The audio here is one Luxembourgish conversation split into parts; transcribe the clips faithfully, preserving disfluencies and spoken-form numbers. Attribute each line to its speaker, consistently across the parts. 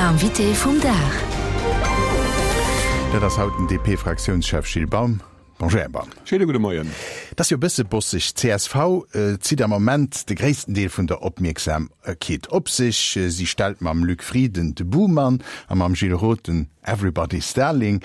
Speaker 1: Invité vum Dag.
Speaker 2: Dat ass haut den D P-Fraktiounschef Gilles Baum. Bonjour, Här Baum.
Speaker 3: Schéine gudde Moien.
Speaker 2: Et ass jo e bësse bosseg. D C S V zitt am Moment de gréissten Deel vun der Opmierksamkeet op sech. Si stellt mam Luc Frieden de Buhmann a mam Gilles Roth den Everybody's Darling,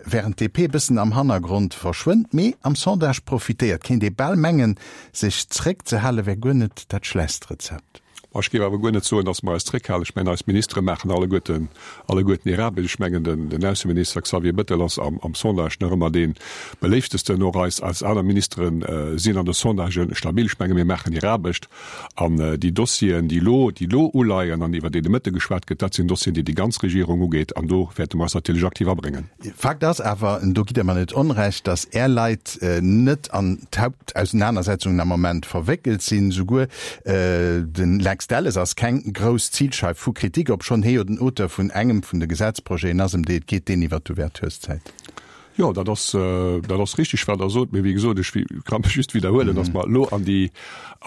Speaker 2: wärend d D P e bëssen am Hannergrond verschwënnt, mee am Sondage profitéiert. Kéint ee bal mengen, sech zréckzehale wär guer net dat schlechtst Rezept.
Speaker 3: Ech géif awer guer net soen, datt mer eis zréckhalen. Ech mengen, eis Ministere maachen alleguerten, alleguerten hir Aarbecht. Ech mengen, den, den Ausseminister Xavier Bettel ass am, am Sondage nach ëmmer dee beléiftesten. Och eis, eis aner Ministere sinn an de Sondagen stabil. Ech menge mir maachen hir Aarbecht. An déi Dossieren, déi elo, déi elo uleien an iwwer déi de Mëtte geschwat gëtt, dat sinn Dossieren, déi déi ganz Regierung ugeet. An do wäerte mer eis natierlech aktiv abréngen.
Speaker 2: Fakt ass awer, do gitt Der mer net Onrecht, datt Är Leit net an d'Hauptausenanersetzungen am Moment verwéckelt sinn. Souguer de Lex Delles ass keng grouss Zilscheif vu Kritik, obschonn hie jo den Auteur vun engem vun de Gesetzprojeten ass, ëm déi et geet, deen iwwer d'Ouvertureszäit.
Speaker 3: Jo, dat ass, dat ass richteg, wat Der sot. Mee wéi gesot, ech ka mech just widderhuelen, datt mer elo an déi,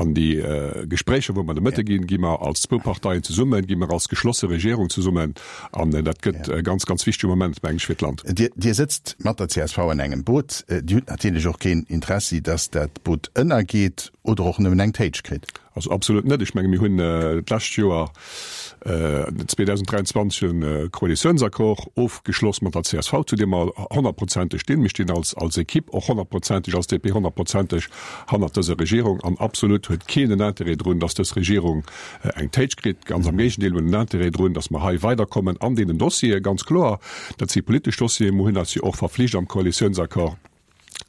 Speaker 3: an déi Gespréicher, wou mer de Mëtte ginn, gi mer als zwou Parteien zesummen, gi mer als geschlosse Regierung zesummen. An dat gëtt e ganz, ganz wichtege Moment, meng ech, fir d'Land.
Speaker 2: Dir, Dir sëtzt mat der C S V an engem Boot. Dir hutt natierlech och keen Interessi, datt dat Boot ënnergeet oder och nëmmen eng Téitsch kritt.
Speaker 3: Also absolut net. Ech menge mir hunn d'lescht Joer zweedausenddräianzwanzeg e Koalitiounsaccord ofgeschloss mat der C S V, zu deem mer honnertprozenteg stinn. Mir stinn als, als Ekipp och honnertprozenteg, als D P honnertprozenteg hannert dëser Regierung an absolut huet keen en Interêt drun, datt dës Regierung eng Téitsch kritt. Ganz am Géigendeel, mir hunn en Interêt drun, datt mer hei weiderkommen an deenen Dossiere, ganz kloer. Dat si politesch Dossieren. Mir hunn eis jo och verflicht am Koalitiounsaccord,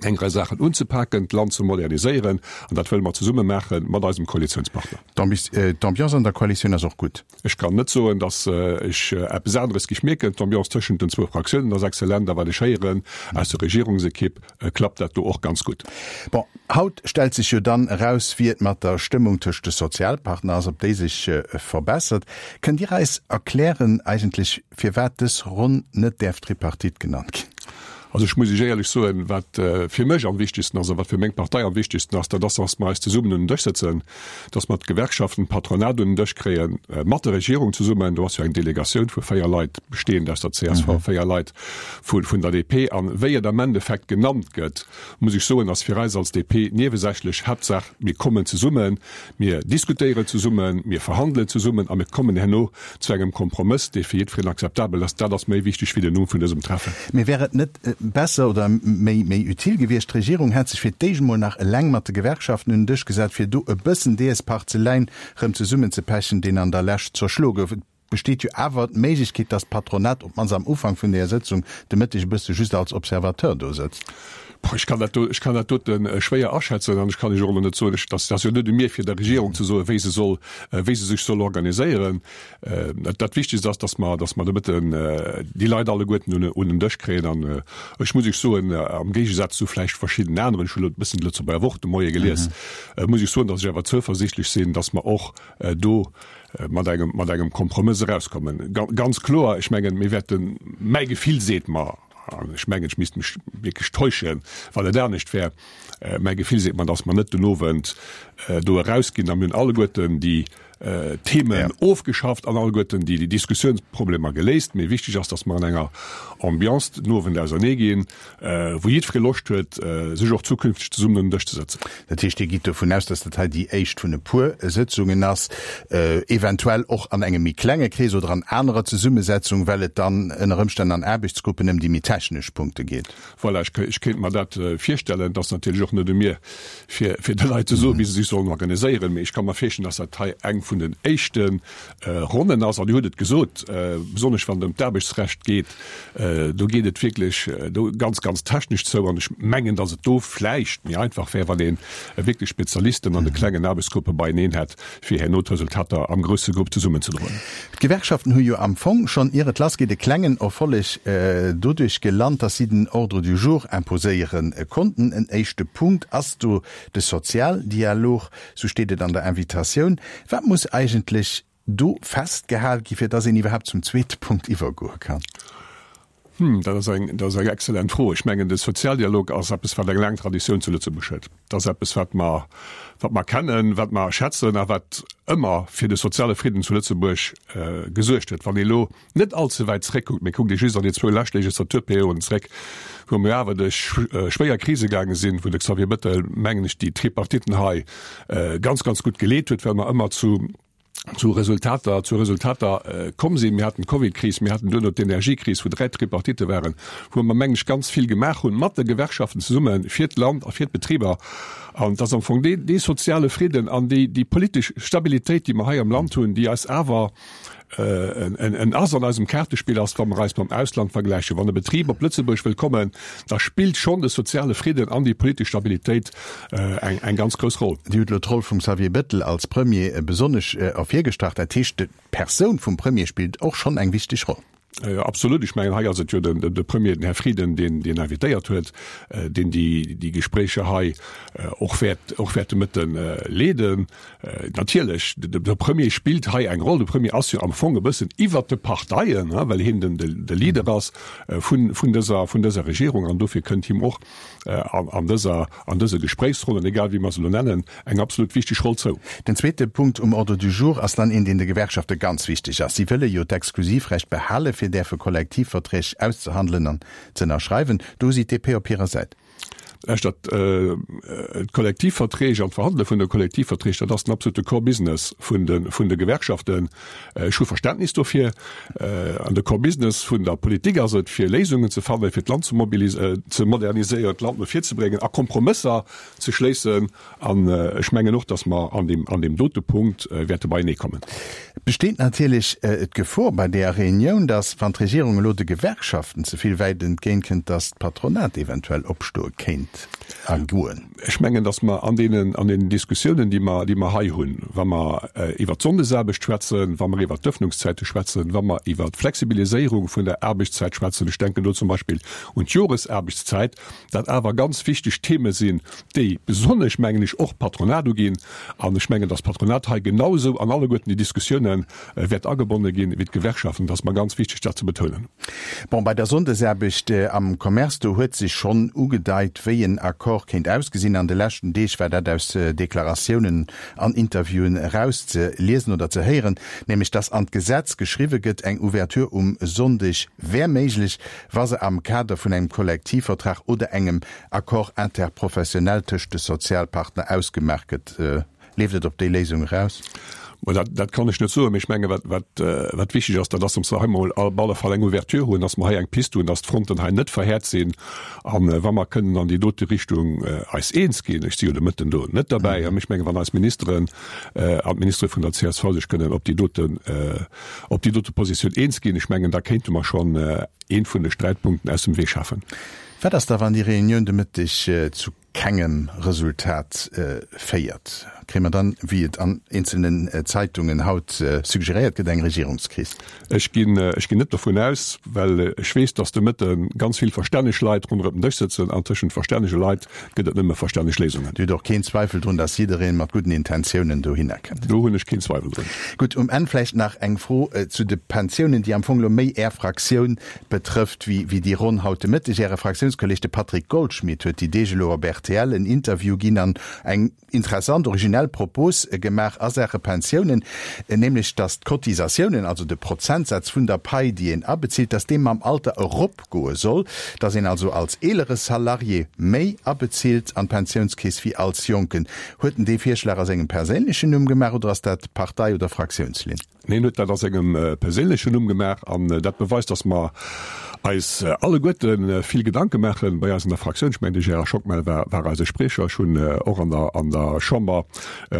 Speaker 3: eng Rei Saachen unzepaken, d'Land ze moderniséieren, an dat wëlle mer zesumme maache mat eisem Koalitiounspartner.
Speaker 2: D'Ambiance an der Koalitioun ass och gutt.
Speaker 3: Ech kann net soen, datt ech eppes aneres géif mierken. D'Ambiance tëschent den zwou Fraktiounen ass exzellent, a wat ech héieren aus der Regierungsekipp, klappt dat do och ganz gutt.
Speaker 2: Bon, haut stellt sech jo dann eraus, wéi et mat der Stëmmung tëscht de Sozialpartner ass, ob déi sech verbessert. Kënnt Dir eis erklären eigentlech, firwat dës Ronn net däerf Tripartite genannt ginn?
Speaker 3: Also ech muss Iech éierlech soen, wat fir mech am wichtegsten ass a wat fir meng Partei am wichtegsten ass, dat ass, datt mer eis zesummen un den Dësch sëtzen, datt mer d'Gewerkschaften, d'Patronat un den Dësch kréien, mat der Regierung zesummen. Do ass jo eng Delegatioun vu véier Leit, bestehend aus der C S V, véier Leit vu vun der D P. An wéi et am Endeffekt genannt gëtt, muss ech soen, ass fir eis als D P niewesächlech. Haaptsaach mir kommen zesummen, mir diskutéieren zesummen, mir verhandelen zesummen a mir kommen herno zu engem Kompromëss, dee fir jiddwereen akzeptabel ass. Dat ass méi wichteg wéi den Numm vun dësem Treffen.
Speaker 2: Mee wär et net besser oder méi méi utile gewiescht, d'Regierung hätt sech fir d'éischt emol nach eleng mat de Gewerkschaften un den Dësch gesat, fir do e bëssen dees Parzeläin rëm zesummenzepechen, deen an der Lescht zerschloe gouf? Et besteet jo awer d'Méiglechkeet, datt d'Patronat op d'mannst am Ufank vun där Sëtzung de Mëtteg e bësse just als Observateur do sëtzt.
Speaker 3: Ech kann dat do, ech kann dat dote schwéier aschätzen an ech kann Iech och elo net soen, ech, dat ass jo net u mir fir der Regierung ze soen, wéi se soll, wéi se sech soll organiséieren. Dat Wichtegst ass, datt mer, datt mer de Mëtten déi Leit alleguerten un, un den Dësch kréien an ech muss Iech soen, am Géigesaz zu vläicht verschiddenen aneren, ech hunn elo e bëssen d'Lëtzebuerger Wort de Moie gelies, muss ech soen, datt ech awer zouversiichtlech sinn, datt mer och do mat engem, mat engem Kompromëss erauskommen. Ganz kloer, ech mengen, mir wäerten, mäi Gefill seet mer, an ech mengen, ech misst mech wierklech täuschen, wann et anescht wär, mäi Gefill seet mer, datt mer net den Owend do erausginn a mir hunn alleguerten déi Themen ofgeschafft an alleguerten déi Diskussiounsproblemer geléist. Mee wichteg ass, datt mer an enger Ambiance den Owend auserneeginn, wou jiddweree Loscht huet, sech och zukünfteg zesummen un den Dësch ze sëtzen.
Speaker 2: Dat heescht, Dir gitt dovun aus, datt dat hei déi éischt vun e puer Sëtzungen ass, eventuell och an engem méi klenge Krees oder an anerer Zesummesetzung, well et dann ënner Ëmstänn an Aarbechtsgruppen ëm déi méi technesch Punkte geet?
Speaker 3: Voilà, ech kéint mer dat virstellen. Et ass natierlech och net u mir, fir de Leit ze soen, wéi se sech sollen organiséieren, mee ech ka mer virstellen, datt dat hei eng vun den éischte Ronnen ass. An Dir hutt et gesot, besonnesch wann et ëm d'Aarbechtsrecht geet, do geet et wierklech do ganz, ganz technesch zou. An ech mengen, datt et do vläicht méi einfach wär, wann ee wierklech Spezialisten an de klengen Aarbechtsgruppe beieneen hätt, fir herno d'Resultater am grousse Grupp zesummenzedroen.
Speaker 2: D'Gewerkschaften hu jo am Fong schonn, ier et lassgeet, e klengen Erfolleg doduerch gelant, datt si den Ordre du jour imposéiere konnten. En éischte Punkt ass do de Sozialdialog, sou steet et an der Invitatioun. Wat muss eigentlech do festgehal gi fir datt een iwwerhaapt zum zweete Punkt iwwergoe kann?
Speaker 3: Hm, dat ass eng, dat ass eng exzellent Fro. Ech mengen, de Sozialdialog ass eppes, wat eng laang Traditioun zu Lëtzebuerg huet. Dat ass eppes, wat mer, wat mer kennen, wat mer schätzen a wat ëmmer fir de soziale Fridden zu Lëtzebuerg gesuergt huet. Wann ee lo net all ze wäit zréckkuckt, mee kuckt ee just an déi zwou lescht Legislaturperioden zréck, wou mir awer duerch schwéier Krise gaange sinn, wou de Xavier Bettel, mengen ech, déi Tripartiten hei ganz, ganz gutt geleet huet, well mer ëmmer zu zu Resultater, zu Resultater komm sinn. Mir haten d'Covidkris, mir haten duerno d'Energiekris, wou dräi Tripartitte waren, wou mer, mengen ech, ganz vill gemaach hunn, mat de Gewerkschaften zesumme fir d'Land a fir d'Betriber. An et ass am Fong dee, dee soziale Fridden an déi, déi politesch Stabilitéit, déi mer hei am Land hunn, déi eis awer en Ass an eisem Kaartespill ass, wa mer eis mam Ausland vergläichen. Wann e Betrib op Lëtzebuerg wëll kommen, da spillt schonn de soziale Fridden an déi politesch Stabilitéit eng, eng ganz grouss Roll.
Speaker 2: Dir hutt elo d'Roll vum Xavier Bettel als Premier besonnesch ervirgestrach. Dat heescht, d'Persoun vum Premier spillt och schonn eng wichteg Roll.
Speaker 3: Absolut. Ech mengen, hei ass et jo den, de Premier, den Här Frieden, deen, deen invitéiert huet, deen déi, déi Gespréicher hei och wäert, och wäert de Mëtte leeden. Natierlech, de, de Premier spillt hei eng Roll. De Premier ass jo am Fong e bëssen iwwert de Parteien, well hien den, de, de Leader ass vun, vun dëser, vun dëser Regierung. An dofir kënnt him och an, an dëser, an dëse Gespréichsronnen, egal wéi mer se elo nennen, eng absolut wichteg Roll zou.
Speaker 2: Den zweete Punkt um Ordre du jour ass dann een, deen de Gewerkschafte ganz wichteg ass. Si wëlle jo d'Exklusivrecht behale fir däerfe Kollektivverträg auszehandelen an z'ënnerschreiwen. Do si d'DP op hirer Säit.
Speaker 3: Lauschtert, d'Kollektivverträg an d'Verhandele vun de Kollektivverträg, dat ass den absolute Core Business vun de, vun de Gewerkschaften. Ech hu Verständnis dofir. An de Core Business vun der Politik ass et, fir Léisungen ze fannen, fir d'Land ze mobilise-, ze moderniséieren, d'Land no vir ze bréngen a Kompromësser ze schléissen. An ech mengen och, dass mer an deem, an deem dote Punkt wäerte beienee kommen.
Speaker 2: Et besteet natierlech d'Gefor bei deeër Reunioun, dass, wann d'Regierung elo de Gewerkschaften ze vill wäit entgéintkënnt, dass d'Patronat eventuell opstoe kéint a goen.
Speaker 3: Ech mengen, dass mer an deenen, an deenen Diskussiounen, déi mer, déi mer hei hunn, wa mer iwwert d'Sonndesaarbecht schwätzen, wa mer iwwert d'Öffnungszäite schwätzen, wa mer iwwert d'Flexibiliséierung vun der Aarbechtszäit schwätzen, ech denken do zum Beispill un d'Joresaarbechtszäit, dat awer ganz wichteg Theme sinn, déi besonnesch, mengen ech, och d'Patronat uginn. An ech mengen, dass d'Patronat hei genausou an alleguerten déi Diskussiounen wäert agebonne ginn wéi d'Gewerkschaften. Dat ass mer ganz wichteg, dat ze betounen.
Speaker 2: Bon, bei der Sonndesaarbecht am Commerce, do huet sech schonn ugedeit, wéi en Accord kéint ausgesinn. An de leschten Deeg war dat aus Deklaratiounen an Interviewen erauszeliesen oder ze héieren, nämlech dass an d'Gesetz geschriwwe gëtt, eng Ouverture um Sonndeg wär méiglech, wa se am Kader vun engem Kollektivvertrag oder engem Accord interprofessionnel tëscht de Sozialpartner ausgemaach gëtt. Leeft et op déi Léisung eraus?
Speaker 3: Bon, dat, dat kann ech net soen, mee ech menge wat, wat, wat wichteg ass, dat ass, datt mer hei emol op alle Fall eng Ouverture hunn, datt mer hei eng Pist hunn, datt d'Fronten hei net verhäert sinn. A wa mer kënnen an déi dote Richtung eis eens ginn, ech si jo de Mëtten do net derbäi, mee ech menge wann eis Ministeren an d'Ministere vun der csv sech kënnen op déi doten, op déi dote Positioun eens ginn, ech mengen, da kéinte mer schonn ee vun de Sträitpunkten aus dem Wee schafen.
Speaker 2: Wat ass da, wann déi Reunioun de Mëtteg zu kengem Resultat féiert? Kréie mer dann, wéi et an eenzelnen Zeitungen haut suggeréiert gëtt, eng Regierungskris?
Speaker 3: Ech ginn, ech ginn net dovun aus, well ech weess, datt de Mëtte ganz vill verstänneg Leit ronderëm den Dësch sëtzen an tëschent verstännege Leit gëtt et nëmme verstänneg Léisungen.
Speaker 2: Dir hutt och keen Zweifel drun, datt jiddereen mat gudden Intentiounen dohinner kënnt?
Speaker 3: Do hunn ech keen Zweiwel drun.
Speaker 2: Gutt, um Enn vläicht nach eng Fro zu de Pensiounen, déi am Fong elo méi Är Fraktioun betrëfft wéi, wéi déi Ronn haut de Mëtteg. Äre Fraktiounskolleg, de Patrick Goldschmidt, huet déi Deeg elo op rtl en Interview ginn an eng interessant, originell Propos gemaach a Saache Pensiounen, nämlech datt d'Cotisatiounen, also de Prozentsaz vun der Pai, déi een abezilt, datt dee mam Alter eropgoe soll, datt een also als eelere Salarié méi abezilt an d'Pensiounskeess wéi als Jonken. Huet en dee Virschlag a sengem perséinlechen Numm gemaach oder ass dat Partei oder Fraktiounslinn?
Speaker 3: Neen, en huet dat a sengem perséinlechen Numm gemaach an dat beweist, datt mer eis alleguerte vill Gedanke maache bei eis an der Fraktioun. Ech mengen, de Gérard Schockmel war, war eise Spriecher. Ech hunn och an der, an der Chamber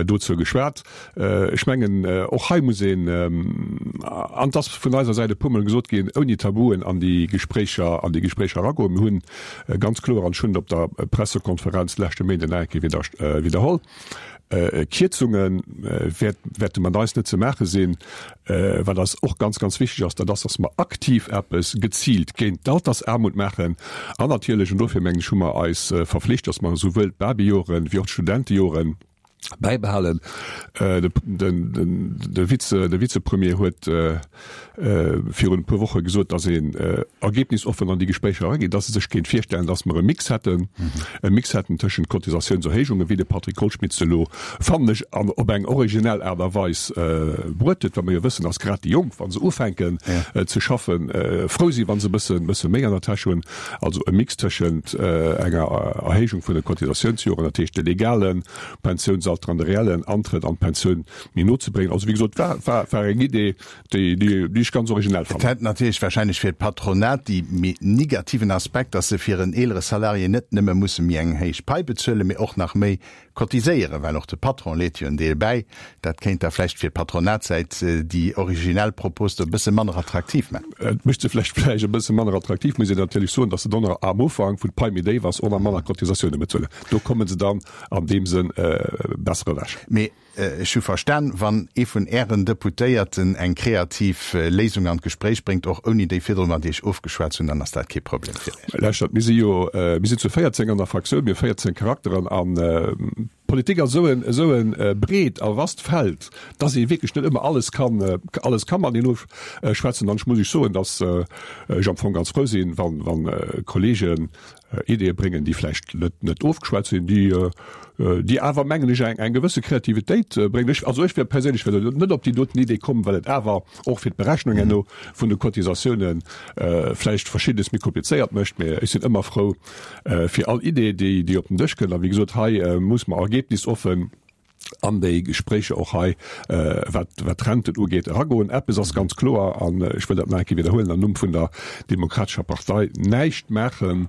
Speaker 3: dozou geschwat. Ech mengen, och hei muss een, an et ass vun eiser Säit e puermol gesot ginn, ouni Tabuen an déi Gespréicher, an déi Gespréicher eragoen. Mir hunn ganz kloer, an ech hunn et op der Pressekonferenz leschte Méinden nach eng Kéier widder, widderholl, Kierzunge wäerte mat eis net ze maache sinn. Wat eis och ganz, ganz wichteg ass, dat ass, datt mer aktiv eppes geziilt géint d'Altersaarmut maachen. An natierlech, an dofir mengen ech, hu mer eis verflicht, datt mer esouwuel d'Babyjoren wéi och d'Studentejoren Bäibehalen. De Vize, de Vizepremier huet virun e puer Woche gesot, datt een ergebnisoffen an déi Gespréicher erageet, datt e sech kéint virstellen, datt mer e Mix hätten, e Mix hätten tëschent Cotisatiounserhéijungen, wéi de Patrick Goldschmidt se elo, fannen ech, an op eng originell Aart a Weis bruet huet, well mer jo wëssen, datt grad déi Jonk, wa se ufänken ze schaffen, frou sinn, wa se e bësse, bësse méi an der Täsch hunn. Also e Mix tëschent enger Erhéijung vun de Cotisatiounsjoren, dat heescht de legale Pensiounsalter an de reellen Antrëtt an d'Pensioun méi no ze bréngen. Also wéi gesot, war, war, war eng Idee, déi, déi, déi ech ganz originell
Speaker 2: fannen. Et hätt natierlech wahrscheinlech fir d'Patronat dee méi negativen Aspekt, dass se fir en eelere Salarié net nëmme musse méi eng héich Pai bezuelen, mee och nach méi cotiséieren, well och de Patron leet jo en Deel bäi. Dat kéint da vläicht fir d'Patronatssäit déi originell Propos do e bësse manner attraktiv man.
Speaker 3: Et mécht se vläicht vläicht e bësse manner attraktiv, muss een natierlech soen, dass se dann am Ufank, wou d'Pai méi déif ass, och nach manner Cotisatioune bezuelen. Do komme se dann an deem Sënn besser ewech.
Speaker 2: Mee ech hu verstan, wann ee vun Ären Deputéierten eng kreativ Léisung an d'Gespréich bréngt, och ouni déi virdru mat Iech ofgeschwat ze hunn, dann ass dat kee Problem fir Iech.
Speaker 3: Lauschtert, mir si jo, mir sinn zu véierzéng an der Fraktioun, mir hu véierzéng Charakteren an Politik ass esou en, esou e breet a vast Feld, dass ee wierklech net ëmmer alles kann, alles ka mateneen ofschwätzen. An ech muss Iech soen, dass ech am Fong ganz frou sinn, wann, wann Kollegen Ideeë bréngen, déi vläicht net, net ofgeschwat sinn, déi, déi awer, mengen ech, eng, eng gewësse Kreativitéit bréngen. Ech, also ech wär perséinlech wär net op déi doten Idee komm, well et awer och fir d'Berechnung herno vun de Cotisatiounen vläicht Verschiddenes méi komplizéiert mécht. Mä ech sinn ëmmer frou fir all Idee, déi, déi op den Dësch kënnt. A wéi gesot, hei muss mer ergebnisoffen an déi Gespréicher och hei, wat, wat d'Renten ugeet, eragoen. Eppes ass ganz kloer, an ech wëll dat nach eng Kéier widderhuelen am Numm vun der Demokratescher Partei, Näischt maachen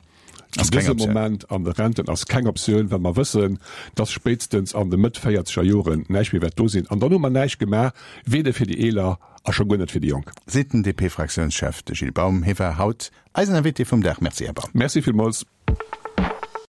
Speaker 3: an dësem Moment an de Renten ass keng Optioun, well mer wëssen, dass spéitstens an de Mëtt véierzeger Joren näischt méi wäert do sinn. An dann hu mer näischt gemaach, weder fir déi Eeler a scho guer net fir déi Jonk.
Speaker 2: Seet den DP-Fraktiounschef, de Gilles Baum. Hie war haut eisen Invité vum Dag. Merci, Här Baum.
Speaker 3: Merci villmools.